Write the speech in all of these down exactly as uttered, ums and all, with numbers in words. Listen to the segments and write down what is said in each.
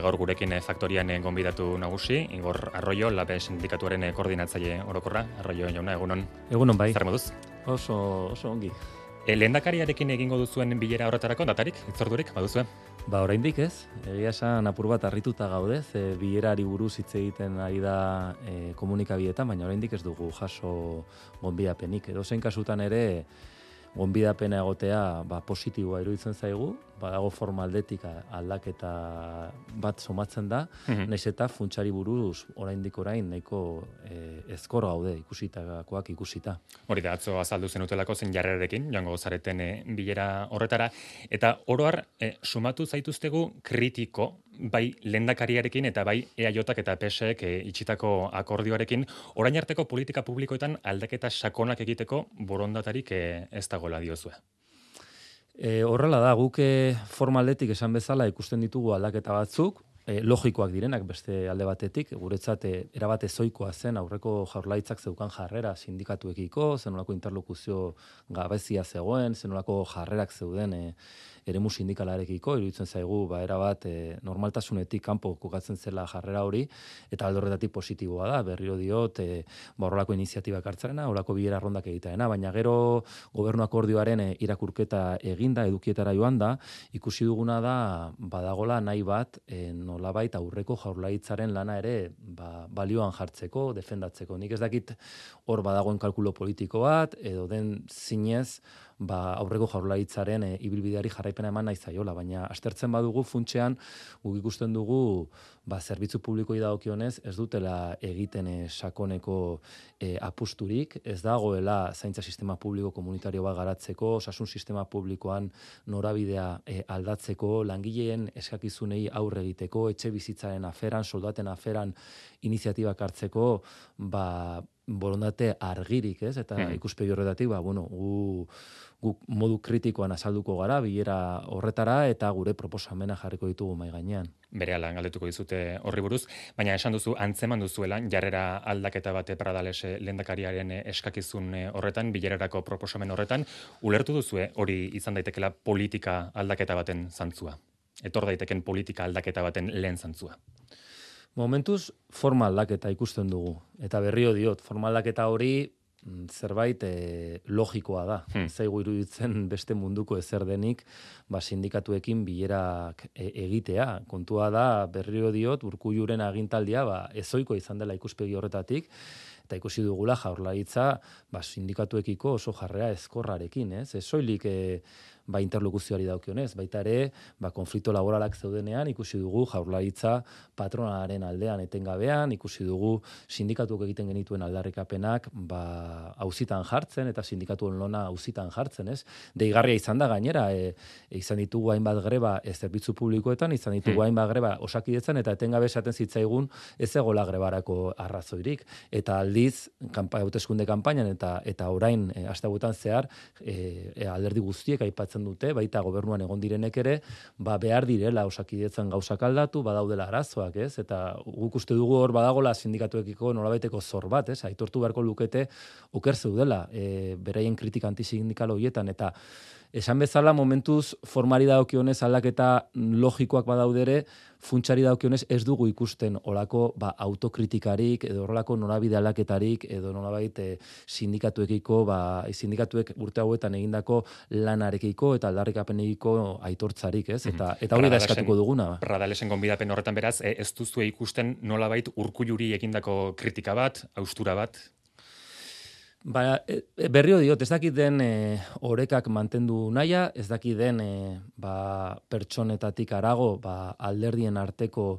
gaur gurekin faktorian gonbidatu nagusi, Igor Arroyo, Labe sindikatuaren koordinatzaile orokorra. Arroyo jauna, egunon. Egunon bai. Zer moduz? Oso, oso ongi. E, lehendakariarekin egingo duzuen bilera horretarako datarik, itzordurik, baduzue? Ba, oraindik ez. Egia esan apur bat harrituta gaude, ze bilerari buruz hitz egiten ari da e, komunikabietan, baina oraindik ez dugu jaso gonbidapenik. Edozein kasutan ere gonbidapena egotea ba, positiboa iruditzen zaigu, badago forma aldetik aldaketa bat somatzen da, mm-hmm. Naiz eta funtsari buruz oraindik orain nahiko e, ezkor gaude ikusitakoak ikusita. Hori da, atzo azaldu zenutelako zen jarrerarekin, joango zareten e, bilera horretara, eta oro har, e, sumatu zaituztegu kritiko, bai lehendakariarekin eta bai E A Jk eta P S Ek e, itxitako akordioarekin, orain arteko politika publikoetan aldaketa sakonak egiteko borondatarik e, ez dagoela diozue. E, horrela da, guk formaldetik esan bezala ikusten ditugu aldaketa batzuk, e, logikoak direnak beste alde batetik, guretzat e, erabat ezoikoa zen aurreko jaurlaritzak zeukan jarrera sindikatuekiko, zenolako interlokuzio gabezia zegoen, zenolako jarrerak zeuden e, eremu sindikalarekiko, iruditzen zaigu ba erabat e, normaltasunetik kanpo kokatzen zela jarrera hori, eta alde horretatik positiboa da, berriro diot, e, ba horrelako iniziatibak hartzarena, horrelako bilera rondak egitaena, baina gero gobernu akordioaren e, irakurketa eginda, edukietara joan da, ikusi duguna da badagola nahi bat e, nolabait aurreko jaurlaritzaren lana ere ba, balioan jartzeko, defendatzeko. Nik ez dakit hor badagoen kalkulo politiko bat, edo den zinez, ba, aurreko jaurlaritzaren e, ibilbideari jarraipena eman nahi zaiola, baina aztertzen badugu funtsean guk ikusten dugu ba, zerbitzu publikoi dagokionez ez dutela egiten e, sakoneko e, apusturik, ez dagoela zaintza sistema publiko komunitario bat garatzeko, osasun sistema publikoan norabidea e, aldatzeko, langileen eskakizunei aurre egiteko, etxe bizitzaren aferan, soldaten aferan iniziatibak hartzeko, ba, borondate argirik, ez? Eta hmm. ikuspegi horretatik, ba, bueno, gu, gu modu kritikoan azalduko gara, bilera horretara, eta gure proposamena jarriko ditugu mai gainean. Berehala galdetuko dizute horri buruz, baina esan duzu, antzeman duzuela, jarrera aldaketa bate Pradales lehendakariaren eskakizun horretan, bilerarako proposamen horretan, ulertu duzue hori izan daitekela politika aldaketa baten zantzua. Etor daiteken politika aldaketa baten lehen zantzua. Momentuz, forma aldaketa ikusten dugu. Eta berrio diot, forma aldaketa hori zerbait e, logikoa da. Hmm. Zaigu iruditzen beste munduko ezer denik, ba, sindikatuekin bilerak e, egitea. Kontua da, berrio diot, Urkulluren agintaldia ba, ezoiko izan dela ikuspegi horretatik, eta ikusi dugula jaurlaritza ba, sindikatuekiko oso jarrera ezkorrarekin, ez? Ez soilik e, ba, interlokuzioari daukionez, baita ere, ba, konflikto laboralak zeudenean, ikusi dugu jaurlaritza patronaren aldean etengabean, ikusi dugu sindikatuak egiten genituen aldarrikapenak ba, auzitan jartzen, eta sindikatuen lona auzitan jartzen, ez? Deigarria izan da gainera, e, e, izan ditugu hainbat greba ez zerbitzu publikoetan, izan ditugu hmm. hainbat greba Osakidetzan, eta etengabe esaten zitzaigun ez egola grebarako arrazoirik, eta aldiz, kanpa, hauteskunde kanpainan, eta, eta orain, e, astebutan zehar, e, e, alderdi guztiek aipatzen dute, baita gobernuan egon direnek ere, ba behar direla Osakidetzan gauzak aldatu, badaudela arazoak, ez? Eta guk uste dugu hor badagola sindikatuekiko nolabaiteko zor bat, ez? Aitortu beharko lukete oker zeudela, e, beraien kritika antisindikal horietan, eta esan bezala momentuz formari dagokionez aldaketa logikoak badaudere, funtsari dagokionez ez dugu ikusten olako ba, autokritikarik, edo horrelako norabide aldaketarik, edo nolabait e, sindikatuekiko, ba, sindikatuek urte hauetan egindako lanarekiko eta aldarrikapenekiko aitortzarik, ez? Eta, eta hori da eskatuko duguna. Pradalesen gonbidapen horretan beraz, ez duzue ikusten nolabait Urkulluri egindako kritika bat, haustura bat? Ba, berrio diot, ez dakit den e, orekak mantendu naia, ez dakit den e, ba, pertsonetatik arago ba, alderdien arteko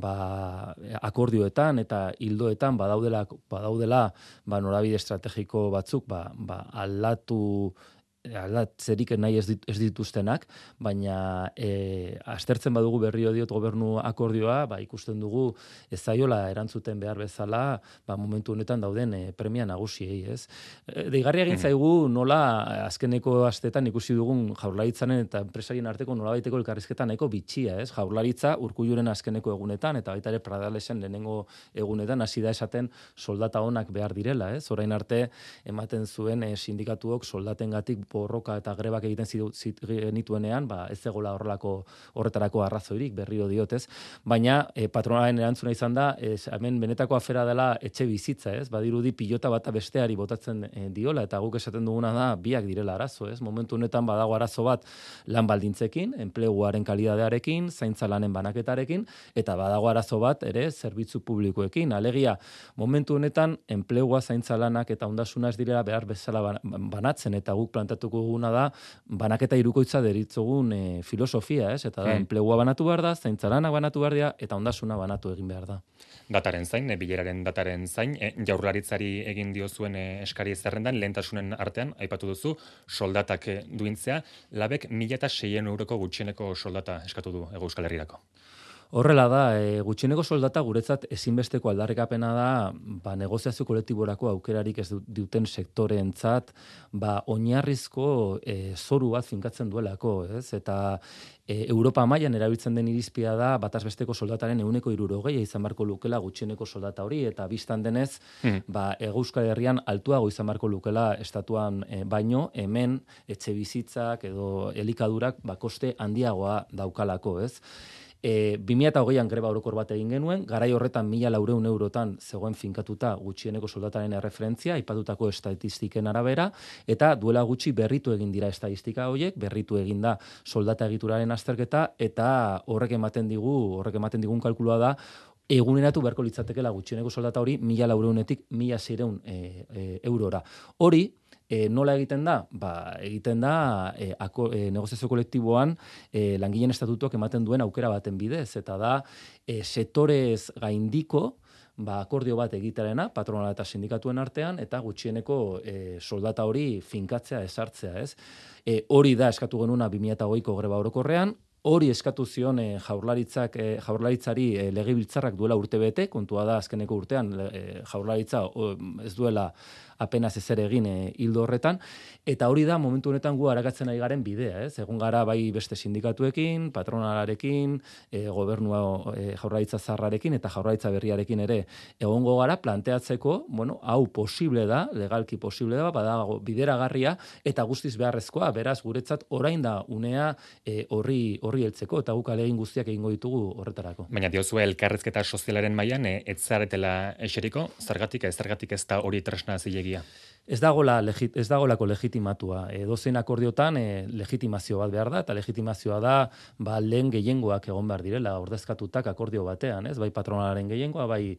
ba, akordioetan eta hildoetan badaudela, badaudela ba, norabide estrategiko batzuk ba, ba, aldatu aldatzerik nahi ez, dit, ez dituztenak, baina e, aztertzen badugu berrio diot gobernu akordioa, ba, ikusten dugu ez zaiola erantzuten behar bezala, ba, momentu honetan dauden e, premia nagusiei, ez? E, deigarria egin zaigu nola azkeneko astetan ikusi dugun jaurlaritzaren eta enpresarien arteko nolabaiteko elkarrizketa nahiko bitxia, ez? Jaurlaritza Urkulluren azkeneko egunetan eta baita ere Pradalesen lehenengo egunetan hasi da esaten soldata onak behar direla, ez? Orain arte ematen zuen e, sindikatuok soldatengatik borroka eta grebak egiten genituenean, ba, ez egola horrelako horretarako arrazoirik, berriro diotez, baina e, patronalen erantzuna izan da, ez, hemen benetako afera dela etxe bizitza, ez? Badirudi pilota bata besteari botatzen e, diola, eta guk esaten duguna da, biak direla arazo, ez? Momentu honetan badago arazo bat lan baldintzekin, enpleguaren kalidadearekin, zaintza lanen banaketarekin, eta badago arazo bat ere zerbitzu publikoekin. Alegia, momentu honetan enplegua, zaintza lanak eta ondasuna ez direla behar bezala banatzen, eta guk plantatuko duguna da banaketa hirukoitza deritzogun e, filosofia, ez? Eta da, hmm. enplegua banatu behar da, zaintza lanak banatu behar da, eta ondasuna banatu egin behar da. Dataren zain, e, bileraren dataren zain, e, jaurlaritzari egin diozuen e, eskari zerrendan, lehentasunen artean, aipatu duzu, soldatak e, duintzea, labek mila eta seien euroko gutxieneko soldata eskatu du Hego Euskal Herrirako. Horrela da, e, gutxieneko soldata guretzat ezinbesteko aldarrikapena da, ba, negoziazio kolektiborako aukerarik ez duten sektoreentzat, ba, oinarrizko e, zoru bat finkatzen duelako, ez? Eta e, Europa mailan erabiltzen den irizpia da, bataz besteko soldataren ehuneko hirurogeia izan barko lukela gutxieneko soldata hori, eta bistan denez, hmm. ba, Hego Euskal Herrian altuago izan barko lukela estatuan e, baino, hemen etxe bizitzak edo elikadurak ba, koste handiagoa daukalako, ez? E, bi mila hogeian greba orokor bat egin genuen, garai horretan mila laurehun eurotan zegoen finkatuta gutxieneko soldataren erreferentzia, aipatutako estatistiken arabera, eta duela gutxi berritu egin dira estatistika horiek, berritu egin da soldata egituraren azterketa, eta horrek ematen digu, horrek ematen digun kalkulua da, eguneratu beharko litzatekela gutxieneko soldata hori mila laurehuntik mila seiehun e, e, eurora. Hori, E, nola egiten da? Ba, egiten da e, ako, e, negoziazio kolektiboan e, langileen estatutuak ematen duen aukera baten bidez, eta da e, sektorez gaindiko ba, akordio bat egiterena, patronala eta sindikatuen artean, eta gutxieneko e, soldata hori finkatzea, esartzea, ez? E, hori da eskatu genuna bi mila hogeiko greba orokorrean, hori eskatu zion e, jaurlaritzak, e, jaurlaritzari e, legebiltzarrak duela urte bete, kontua da azkeneko urtean e, jaurlaritza o, ez duela apenas ezer egin e, hildo horretan, eta hori da momentu honetan gu arakatzen ari garen bidea, ez? Egon gara bai beste sindikatuekin, patronalarekin, e, gobernua e, jaurlaritza zarrarekin eta jaurlaritza berriarekin ere egongo gara planteatzeko, bueno, hau posible da, legalki posible da, badago bideragarria eta guztiz beharrezkoa, beraz guretzat orain da unea e, horri horri heltzeko, eta guk alegin guztiak egingo ditugu horretarako. Baina diozue elkarrezketa sozialaren mailan e, ez zaretela eseriko, zergatik ez zergatik ez da hori tresna zilegia? Ez dagola legit, ez dagolako legitimatua. E, dozein akordiotan e, legitimazio bat behar da, eta legitimazioa da ba, lehen gehiengoak egon behar direla, ordezkatutak akordio batean, ez? Bai patronalaren gehiengoa, bai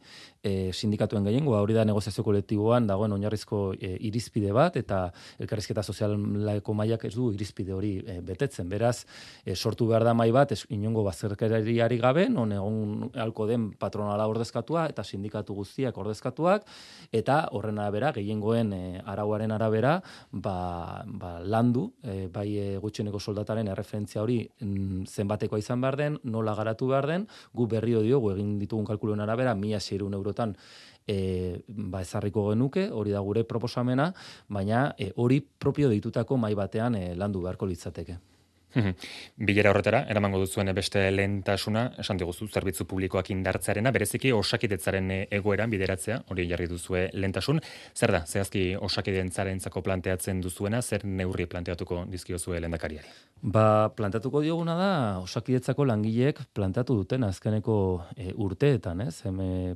e, sindikatuen gehiengoa, hori da negoziazio kolektiboan dagoen oinarrizko e, irizpide bat, eta elkarrizketa sozialeko mailak ez du irizpide hori e, betetzen. Beraz, e, sortu behar da mai bat, ez, inongo bazterkeriari gabe, non egon halko den patronala ordezkatua, eta sindikatu guztiak ordezkatuak, eta horren arabera, gehiengoen e, arauaren arabera, ba, ba, landu, e, bai e, gutxieneko soldataren erreferentzia hori mm, zenbatekoa izan behar den, nola garatu behar den, gu berrio diogu egin ditugun kalkuluen arabera, mila seiehun eurotan e, ba, ezarriko genuke, hori da gure proposamena, baina e, hori propio deitutako mai batean e, landu beharko litzateke. Bilera horretara, eramango duzuen beste lehentasuna, esan diguzu, zerbitzu publikoak indartzearena, bereziki osakitetzaren egoeran bideratzea, hori jarri duzue lehentasun. Zer da, zehazki osakidentzarentzako planteatzen duzuena, zer neurri planteatuko dizkiozue lehendakariari? Ba, planteatuko dioguna da, osakidetzako langileek planteatu duten azkeneko e, urteetan, ez? Hemen,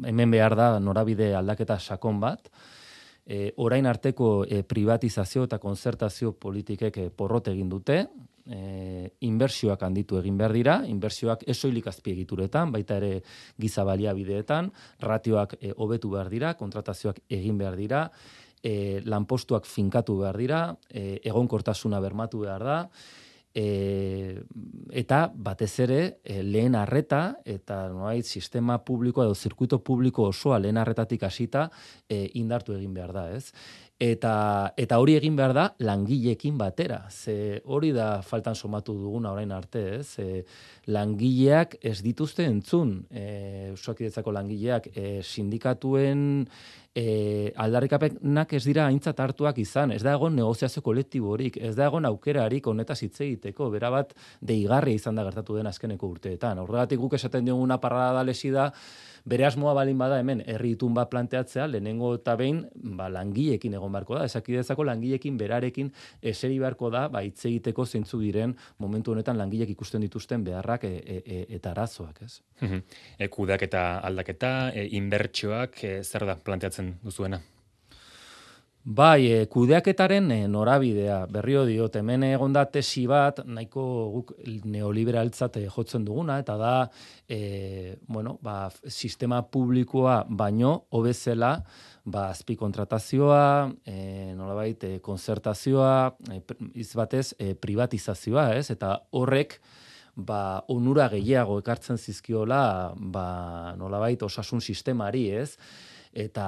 hemen behar da norabide aldaketa sakon bat, E, orain arteko e, privatizazio eta konzertazio politikek e, porrot egin dute, e, inbertsioak handitu egin behar dira, inbertsioak esoilik azpiegituretan, baita ere giza baliabideetan, ratioak e, hobetu behar dira, kontratazioak egin behar dira, e, lanpostuak finkatu behar dira, e, egonkortasuna bermatu behar da, E, eta batez ere e, lehen arreta eta noait sistema publiko edo zirkuito publiko osoa lehen arretatik hasita e, indartu egin behar da, ez? Eta, eta hori egin behar da langileekin batera. Ze hori da faltan somatu duguna orain arte, ez? E, langileak ez dituzte entzun, e, Osakidetzako langileak e, sindikatuen e, aldarrikapenak ez dira aintzat hartuak izan, ez da egon negoziazio kolektiborik, ez da egon aukerarik honetaz hitz egiteko, bera bat deigarria izan da gertatu den azkeneko urteetan. Horregatik guk esaten dioguna parrada da lesi da, bere asmoa balin bada hemen herri itun bat planteatzea, lehenengo eta behin ba, langileekin egon beharko da, esakidezako langileekin berarekin eseri beharko da, ba, hitz egiteko zeintzu diren momentu honetan langileek ikusten dituzten beharrak e, e, e, eta arazoak, ez? e, kudeaketa aldaketa, e, inbertsioak, e, zer da planteatzen duzuena? Bai, e, kudeaketaren e, norabidea, berrio diot, hemen egon da tesi bat, nahiko guk neoliberaltzat jotzen duguna, eta da, e, bueno, ba, sistema publikoa baino hobezela, ba, azpikontratazioa, e, nolabait, e, konzertazioa, e, izbatez, e, privatizazioa, ez? Eta horrek, ba, onura gehiago ekartzen zizkiola, ba, nolabait, osasun sistemari, ez? Eta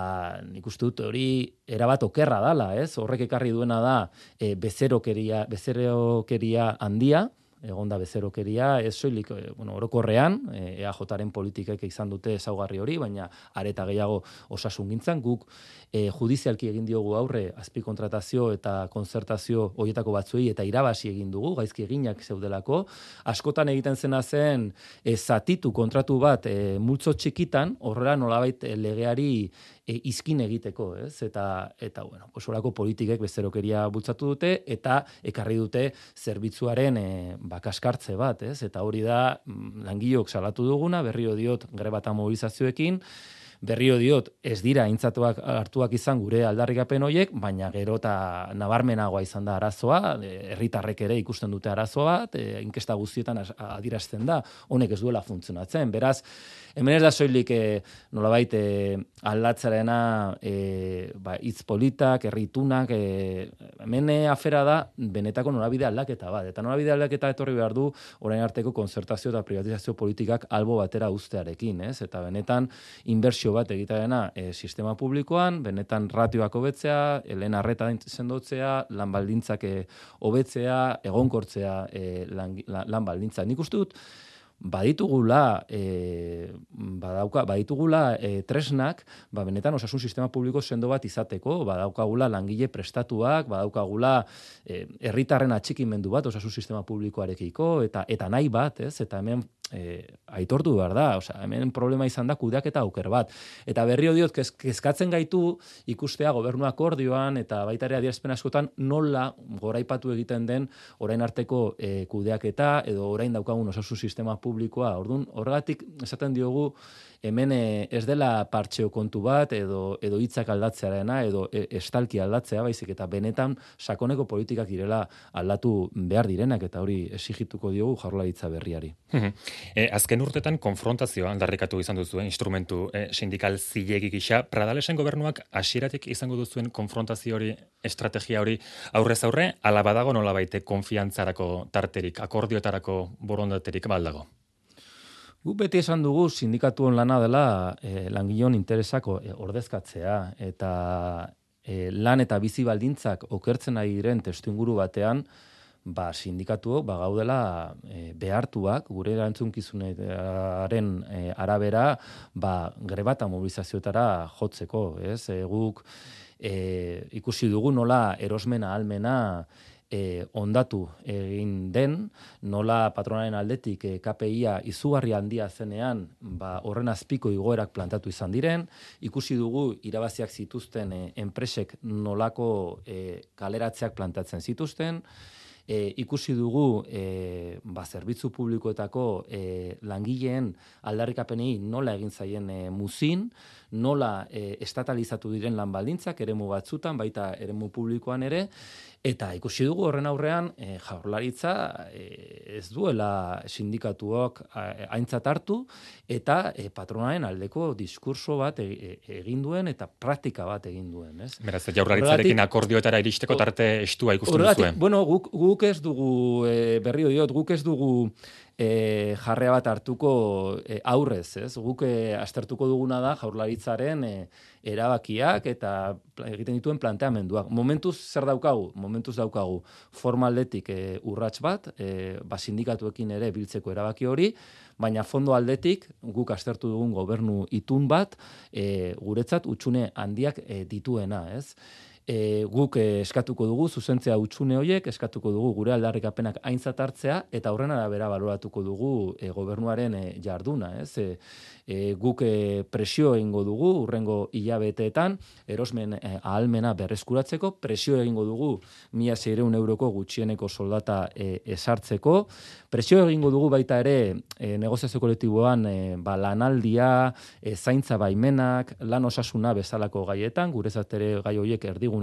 nik uste dut hori erabat okerra dala, ez? Horrek ekarri duena da e, bezerokeria, bezerokeria handia, egon da bezerokeria, ez soilik, e, bueno, orokorrean, e, E A Jaren politikek izan dute ezaugarri hori, baina areta gehiago osasungintzan, guk e, judizialki egin diogu aurre azpikontratazio eta konzertazio horietako batzuei eta irabasi egin dugu, gaizki eginak zeudelako, askotan egiten zena zen e, zatitu kontratu bat e, multzo txikitan, horrela nolabait e, legeari e, izkin egiteko, ez? Eta, eta bueno, pues horako politikek bezerokeria bultzatu dute, eta ekarri dute zerbitzuaren e, bakaskartze bat, ez? Eta hori da, langileok salatu duguna, berrio diot greba eta mobilizazioekin, berrio diot ez dira aintzatuak hartuak izan gure aldarrikapen horiek, baina gero eta nabarmenagoa izan da arazoa, herritarrek ere ikusten dute arazoa bat, e, inkesta guztietan adierazten da, honek ez duela funtzionatzen. Beraz, hemen ez da soilik e, nolabait e, aldatzarena e, ba, hitz politak, herritunak, e, hemen afera da benetako norabide aldaketa bat. Eta norabide aldaketa etorri behar du orain arteko konzertazio eta privatizazio politikak albo batera uztearekin, ez? Eta benetan inbertsio bat egitearena e, sistema publikoan, benetan ratioak hobetzea, lehen arreta sendotzea, lan baldintzak hobetzea, egonkortzea e, lan, lan baldintza. Nik uste dut, baditugula, e, badauka, baditugula e, tresnak, ba, benetan osasun sistema publiko sendo bat izateko, badaukagula langile prestatuak, badaukagula e, herritarren atxikimendu bat osasun sistema publikoarekiko, eta eta nahi bat, ez? Eta hemen e, aitortu behar da, osea, hemen problema izan da kudeaketa auker bat. Eta berrio diot, kezkatzen gaitu ikustea gobernu akordioan, eta baita ere adierazpen askotan nola goraipatu egiten den orain arteko e, kudeaketa, edo orain daukagun osasun sistema publikoa. Orduan, horregatik esaten diogu hemen ez dela partxeo kontu bat, edo edo hitzak aldatzearena, edo estalki aldatzea, baizik eta benetan sakoneko politikak direla aldatu behar direnak, eta hori exigituko diogu Jaurlaritza berriari. E, azken urtetan konfrontazioa aldarrikatu izan duzu, indstrumentu e, sindikal zilegi gisa. Pradalesen gobernuak hasieratik izango duzuen konfrontazio hori, estrategia hori aurrez aurre, ala badago nolabait konfiantzarako tarterik, akordioetarako borondaterik baldago? Guk beti esan dugu sindikatuen lana dela e, langileon interesako e, ordezkatzea, eta e, lan eta bizi baldintzak okertzen ari diren testuinguru batean, ba, sindikatuok ba, gaudela e, behartuak, gure erantzunkizunaren e, arabera, ba, greba eta mobilizazioetara jotzeko, ez? E, guk e, ikusi dugu nola erosmena ahalmena E, ondatu egin den, nola patronaren aldetik e, K P I-a izugarri handia zenean, ba, horren azpiko igoerak plantatu izan diren, ikusi dugu irabaziak zituzten e, enpresek nolako e, kaleratzeak plantatzen zituzten, E, ikusi dugu e, ba, zerbitzu publikoetako e, langileen aldarrikapenei nola egin zaien e, muzin, nola e, estatalizatu diren lan baldintzak eremu batzutan, baita eremu publikoan ere, eta ikusi dugu horren aurrean e, Jaurlaritza e, ez duela sindikatuok aintzat hartu, eta e, patronaren aldeko diskurso bat e, e, egin duen, eta praktika bat egin duen. Ez? Beraz, Jaurlaritzarekin akordioetara iristeko tarte estua ikusten duzuen. Bueno, guk, guk ez dugu, e, berrio diot, guk ez dugu e, jarrea bat hartuko e, aurrez, ez? Guk e, aztertuko duguna da Jaurlaritzaren e, erabakiak eta egiten dituen planteamenduak. Momentuz zer daukagu? Momentuz daukagu formaldetik e, urrats bat, e, ba, sindikatuekin ere biltzeko erabaki hori, baina fondo aldetik guk aztertu dugun gobernu itun bat, e, guretzat utxune handiak e, dituena, ez? E, guk e, eskatuko dugu zuzentzea utxune horiek, eskatuko dugu gure aldarrikapenak aintzat hartzea eta horren arabera baloratuko dugu e, gobernuaren e, jarduna, ez? E, e, guk e, presio egingo dugu urrengo hilabeteetan erosmen e, ahalmena berreskuratzeko, presio egingo dugu mila seiehun euroko gutxieneko soldata e, esartzeko, presio egingo dugu baita ere e, negoziazio kolektiboan e, ba, lanaldia, e, zaintza baimenak, lan osasuna bezalako gaietan, guretzat ere gai horiek erdigunera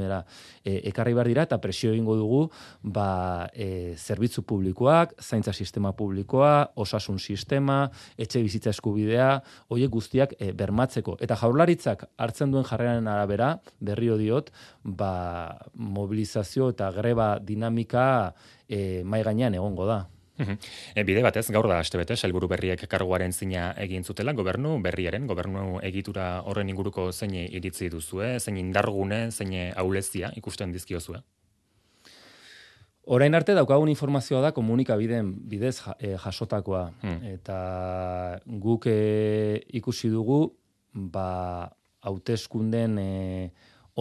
e, ekarri behar dira, eta presio egingo dugu ba, e, zerbitzu publikoak, zaintza sistema publikoa, osasun sistema, etxe bizitza eskubidea, horiek guztiak e, bermatzeko. Eta Jaurlaritzak hartzen duen jarreraren arabera, berriro diot, ba, mobilizazio eta greba dinamika e, mai gainean egongo da. E, bide batez, gaur da astebete, sailburu berriek karguaren zina egin zutela, gobernu berriaren, gobernu egitura horren inguruko zein iritzi duzue, zein indargune, zein ahulezia ikusten dizkiozue? Orain arte daukagun informazioa da komunikabideen bidez jasotakoa. Hmm. Eta guk e, ikusi dugu, ba, hauteskunden e,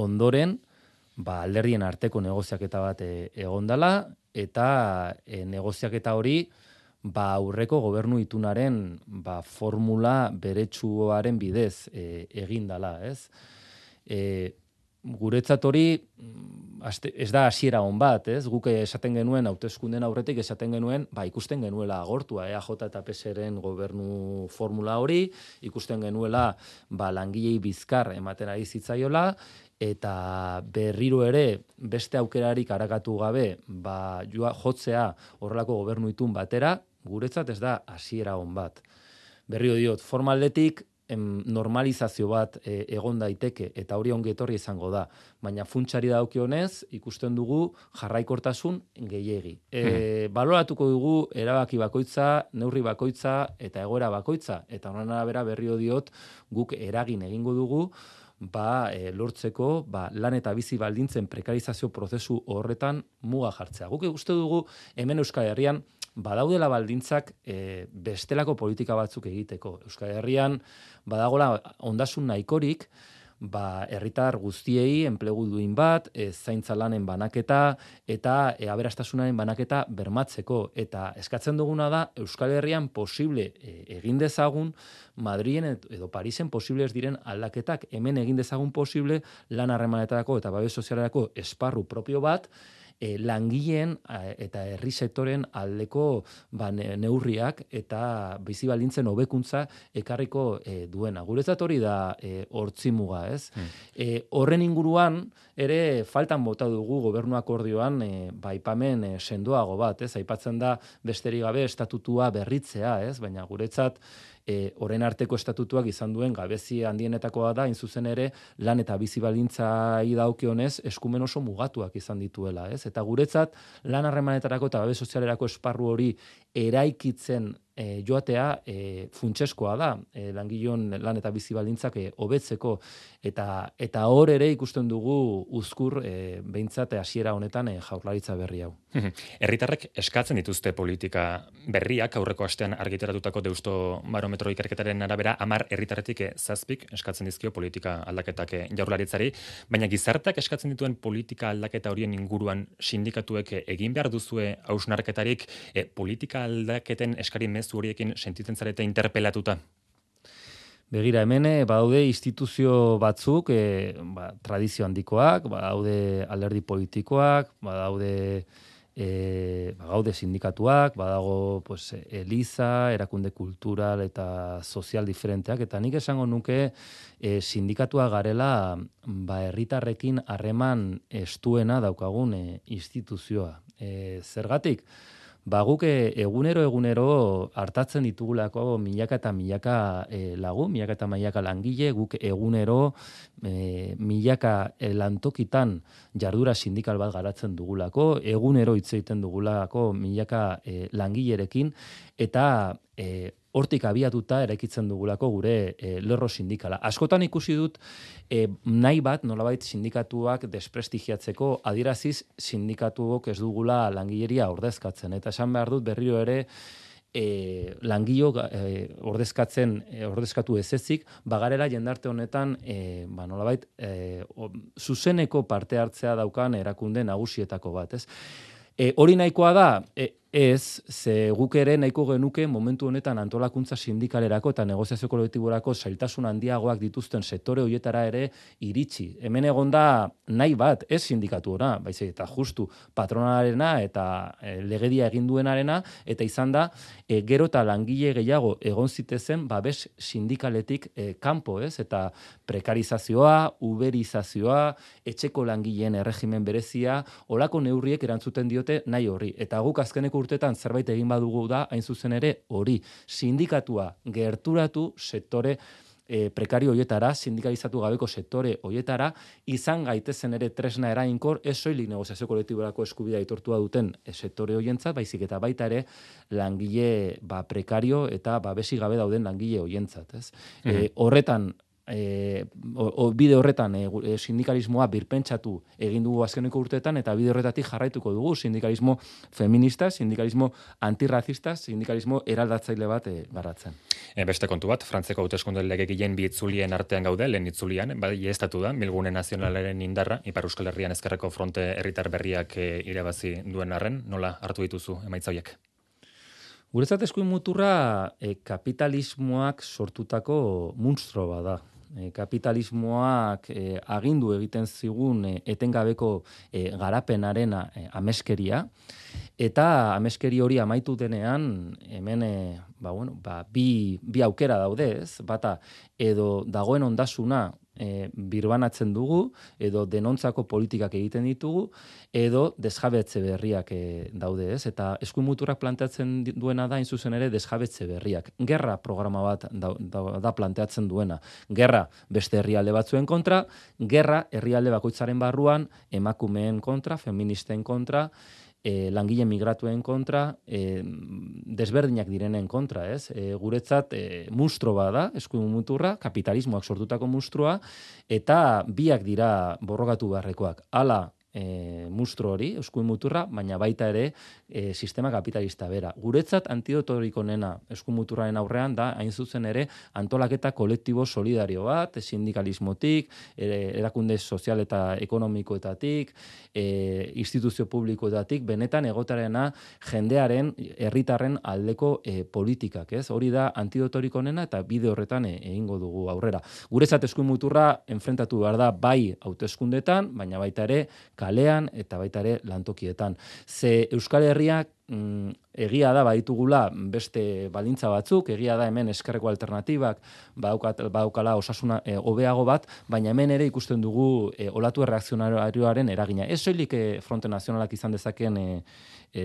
ondoren, ba, alderdien arteko negoziaketa bat e, egondala, eta e, negoziaketa hori ba, aurreko gobernu itunaren ba, formula beretsuaren bidez e, egindala, ez? E, guretzat hori ez da hasiera on bat, ez? Guk esaten genuen hauteskunden aurretik esaten genuen, ba, ikusten genuela agortua E A J eta P S eren gobernu formula hori, ikusten genuela ba, langilei bizkar ematen ari zitzaiola, eta berriro ere beste aukerarik arakatu gabe ba, joa, jotzea horrelako gobernu itun batera, guretzat ez da hasiera on bat. Berriro diot, formaldetik normalizazio bat e, egon daiteke eta hori ongi etorri izango da, baina funtsari dagokionez ikusten dugu jarraikortasun gehiegi. E, hmm. Baloratuko dugu erabaki bakoitza, neurri bakoitza eta egoera bakoitza, eta horren arabera berriro diot guk eragin egingo dugu ba, e, lortzeko ba, lan eta bizi baldintzen prekarizazio prozesu horretan muga jartzea. Guk uste dugu hemen Euskal Herrian badaudela baldintzak e, bestelako politika batzuk egiteko. Euskal Herrian badagola ondasun nahikorik, ba, herritar guztiei enplegu duin bat, e, zaintza lanen banaketa eta e, aberastasunaren banaketa bermatzeko. Eta eskatzen duguna da Euskal Herrian posible e, egin dezagun Madrilen edo Parisen posibles diren aldaketak, hemen egin dezagun posible lan harremanetarako eta babes sozialerako esparru propio bat, E, langileen eta herri sektoren aldeko ba, neurriak eta bizi baldintzen hobekuntza ekarriko e, duena. Guretzat hori da e, hortzimuga, ez? Hmm. E, horren inguruan ere faltan bota dugu gobernu akordioan e, ba, aipamen e, sendoago bat, ez? Aipatzen da besterik gabe estatutua berritzea, ez? Baina guretzat E, orain arteko estatutuak izan duen gabezi handienetakoa da, hain zuzen ere, lan eta bizi baldintzai dagokionez eskumen oso mugatuak izan dituela, ez? Eta guretzat, lan harremanetarako eta babes sozialerako esparru hori eraikitzen e, joatea e, funtseskoa da, e, langileon lan eta bizi baldintzak hobetzeko, eta eta hor ere ikusten dugu uzkur e, behintzat hasiera honetan e, Jaurlaritza berri hau. Herritarrek eskatzen dituzte politika berriak, aurreko astean argitaratutako Deusto Barometro ikerketaren arabera hamar herritarretik zazpik eskatzen dizkio politika aldaketak Jaurlaritzari, baina gizarteak eskatzen dituen politika aldaketa horien inguruan sindikatuek egin behar duzue hausnarketarik e, politika aldaketen eskari mezu horiekin sentitzen zarete interpelatuta? Begira, hemen badaude instituzio batzuk, e, ba, tradizio handikoak, badaude alderdi politikoak, badaude E, bagaude sindikatuak, badago pues, Eliza, erakunde kultural eta sozial diferenteak, eta nik esango nuke e, sindikatua garela ba, herritarrekin harreman estuena daukagun e, instituzioa. E, zergatik? Ba, guk egunero egunero hartatzen ditugulako milaka eta milaka e, lagu, milaka eta milaka langile, guk egunero e, milaka e, lantokitan jardura sindikal bat garatzen dugulako, egunero hitz egiten dugulako milaka e, langilerekin, eta e, hortik abiatuta eraikitzen dugulako gure e, lerro sindikala. Askotan ikusi dut e, nahi bat, nolabait sindikatuak desprestigiatzeko adieraziz sindikatuok ez dugula langileria ordezkatzen. Eta esan behar dut berriro ere e, langilo e, ordezkatzen, e, ordezkatu ez ezik, bagarela jendarte honetan e, ba, nolabait e, o, zuzeneko parte hartzea daukan erakunde nagusietako bat, ez? E, hori nahikoa da, e, ez, ze guk ere nahiko genuke momentu honetan antolakuntza sindikalerako eta negoziazio kolektiborako zailtasun handiagoak dituzten sektore horietara ere iritsi. Hemen egon da nahi bat, ez sindikatu ona, baizik eta justu patronarena eta e, legedia egin duenarena, eta izan da, e, gero eta langile gehiago egon zitezen babes sindikaletik e, kanpo, ez? Eta prekarizazioa, uberizazioa, etxeko langileen erregimen berezia, olako neurriek erantzuten diote nahi horri. Eta guk azkeneko urtetan zerbait egin badugu da, hain zuzen ere hori, sindikatua gerturatu sektore e, prekario hoietara, sindikalizatu gabeko sektore hoietara, izan gaitezen ere tresna erainkor, ez soilik negoziazio kolektiborako eskubidea aitortua duten e, sektore hoientzat, baizik eta baita ere langile ba, prekario eta babesi gabe dauden langile hoientzat, ez? Mm-hmm. E, horretan E, o, o, bide horretan e, sindikalismoa birpentsatu egin dugu azkeneko urteetan, eta bide horretatik jarraituko dugu sindikalismo feminista, sindikalismo antirrazista, sindikalismo eraldatzaile bat e, garatzen. E, beste kontu bat, Frantzeko hauteskunde legegileen bi itzulien artean gaude, lehen itzulian, bai estatu da, Bilgune Nazionalaren indarra, Ipar Euskal Herrian Ezkerreko Fronte herritar berriak e, irabazi duen arren, nola hartu dituzu emaitza horiek? Guretzat eskuin muturra e, kapitalismoak sortutako munstro bada. E, kapitalismoak e, agindu egiten zigun e, etengabeko e, garapenarena e, ameskeria, eta ameskeri hori amaitu denean, hemen e, ba, bueno, ba, bi, bi aukera daude, ez? Bata, edo dagoen ondasuna e, birbanatzen dugu, edo denontzako politikak egiten ditugu, edo desjabetze berriak e, daude, ez? Eta eskuin muturrak planteatzen duena da, hain zuzen ere, desjabetze berriak. Gerra programa bat da, da, da planteatzen duena. Gerra beste herrialde batzuen kontra, gerra herrialde bakoitzaren barruan, emakumeen kontra, feministen kontra, E, langile migratuen kontra, e, desberdinak direnen kontra, ez? E, guretzat e, munstro bada, eskuin muturra, kapitalismoak sortutako munstroa, eta biak dira borrokatu beharrekoak. Hala, e, munstro hori, eskuin muturra, baina baita ere e, sistema kapitalista bera. Guretzat antidotorik onena eskuin muturraren aurrean da, hain zuzen ere, antolaketa kolektibo solidario bat, sindikalismotik, erakunde sozial eta ekonomikoetatik, e, instituzio publikoetatik, benetan egotarena jendearen, herritarren aldeko e, politikak, ez? Hori da antidotorik onena eta bide horretan e, egingo dugu aurrera. Guretzat eskuin muturra enfrentatu behar da bai hauteskundetan, baina baita ere kalean eta baita ere lantokietan. Ze Euskal Herriak mm, egia da baditugula beste baldintza batzuk, egia da hemen ezkerreko alternatibak badaukala osasuna e, hobeago bat, baina hemen ere ikusten dugu e, olatu erreakzionarioaren eragina. Ez soilik e, Fronte Nazionalak izan dezakeen e, e,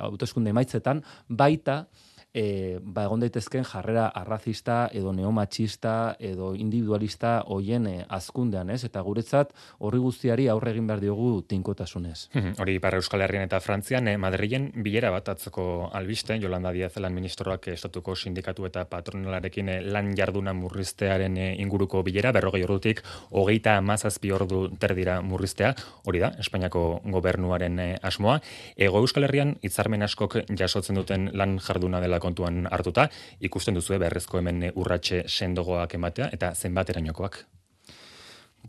hauteskunde emaitzetan, baita E, ba, egon daitezken jarrera arrazista edo neomatxista edo individualista hoien e, azkundean, ez? Eta guretzat horri guztiari aurre egin behar diogu tinkotasunez. Hori Ipar Euskal Herrian eta Frantzian, eh, Madrilen bilera bat atzoko albiste, Yolanda Díaz lan ministroak estatuko sindikatu eta patronalarekin eh, lan jarduna murriztearen eh, inguruko bilera, berrogei ordutik hogeita hamazazpi ordu terdira murriztea, hori da, Espainiako gobernuaren eh, asmoa. Ego Euskal Herrian hitzarmen askok jasotzen duten lan jarduna dela kontuan hartuta, ikusten duzu beharrezko hemen urratxe sendogoak ematea eta zenbaterainokoak.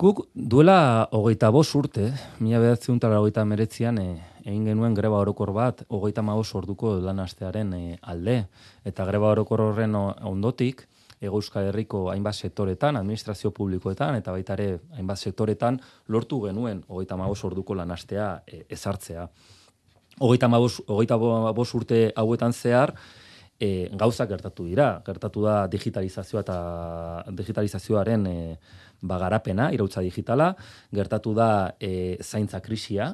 Guk duela hogeita bost urte, mila bederatziehun eta laurogeita hemeretzian e, egin genuen greba orokor bat hogeita hamabost orduko lan astearen e, alde, eta greba orokor horren ondotik Hego Euskal Herriko hainbat sektoretan, administrazio publikoetan eta baita ere hainbat sektoretan lortu genuen hogeita hamabost orduko lan astea e, ezartzea. Hogeita hamabost urte hauetan zehar E, gauzak gertatu dira, gertatu da digitalizazioa eta digitalizazioaren e, bagarapena, irautza digitala, gertatu da e, zaintza krisia,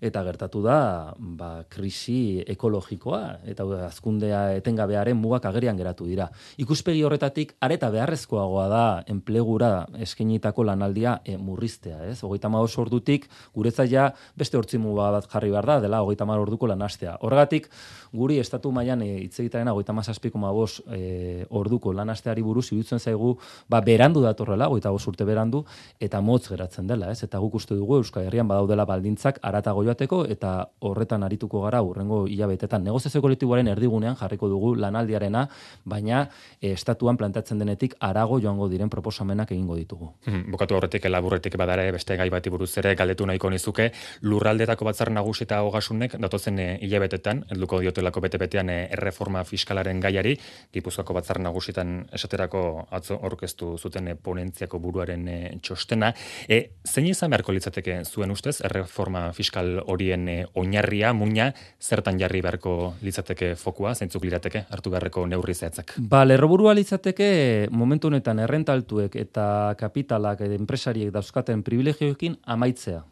eta gertatu da ba, krisi ekologikoa eta hazkundea etengabearen mugak agerian geratu dira. Ikuspegi horretatik areta beharrezkoagoa da enplegura eskainitako lanaldia e, murriztea, ez? hogeita hamabost ordutik guretzat ja beste hortzi muga bat jarri behar da, dela hogeita hamar orduko lanastea. Horregatik guri estatu mailan hitz e, egitearena hogeita hamazazpi koma bost e, orduko lanasteari buruz iruditzen zaigu ba berandu datorrela, hogeita bost urte berandu eta motz geratzen dela, ez? Eta guk uste dugu Euskal Herrian badaudela baldintzak aratago joateko eta horretan arituko gara hurrengo hilabetetan. Negoziazio kolektiboaren erdigunean jarriko dugu lanaldiarena, baina e, estatuan plantatzen denetik arago joango diren proposamenak egingo ditugu. Hmm, bukatu horretik laburretik badare beste gai bati buruz ere galdetu nahiko nizuke, lurraldetako batzar nagusi eta ogasunek datozen e, hilabetetan helduko diotelako bete-betean e, erreforma fiskalaren gaiari, Gipuzkoako batzar nagusitan esaterako atzo aurkeztu zuten e, ponentziako buruaren e, txostena. E, zein izan beharko litzateke zuen ustez erreforma fiskal horien e, oinarria, muina, zertan jarri beharko litzateke fokua, zeintzuk lirateke hartu beharreko neurri zehatzak? Ba, lerroburua litzateke momentu honetan errentaltuek eta kapitalak edo enpresariek dauzkaten privilegioekin amaitzea.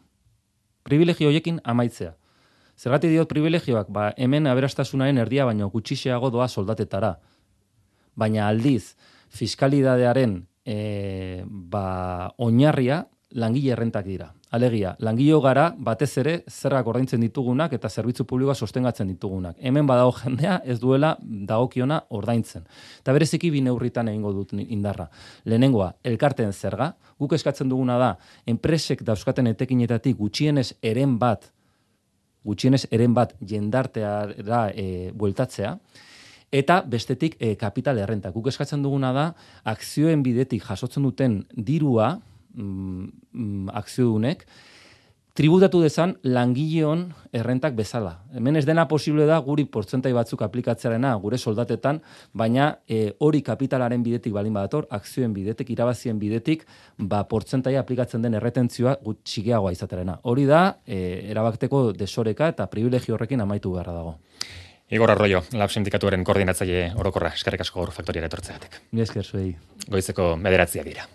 Privilegio horiekin amaitzea. Zergatik diot privilegioak, ba, hemen aberastasunaren erdia baino gutxixeago doa soldatetara. Baina aldiz, fiskalidadearen e, ba, oinarria langile errentak dira. Alegia, langile gara batez ere zergak ordaintzen ditugunak eta zerbitzu publikoa sostengatzen ditugunak. Hemen badago jendea ez duela dagokiona ordaintzen. Eta bereziki bi neurritan egingo dut indarra. Lehenengoa, elkarteen zerga. Guk eskatzen duguna da, enpresek dauzkaten etekinetatik gutxienez eren bat, gutxienez eren bat jendarteara e, bueltatzea, eta bestetik e, kapital errenta. Guk eskatzen duguna da, akzioen bidetik jasotzen duten dirua, Mm, akziodunek, tributatu dezan langileon errentak bezala. Hemen ez dena posible da guri portzentai batzuk aplikatzearena gure soldatetan, baina e, hori kapitalaren bidetik balin badator, akzioen bidetik, irabazien bidetik, ba portzentai aplikatzen den erretentzioa txikiagoa izaterena. Hori da, e, erabakteko desoreka eta privilegio horrekin amaitu beharra dago. Igor Arroyo, Lab Sindikatuaren koordinatzaile orokorra, eskerrik asko Gaur Faktoriara etortzeagatik. Mila esker zuei. Goizeko bederatziak dira.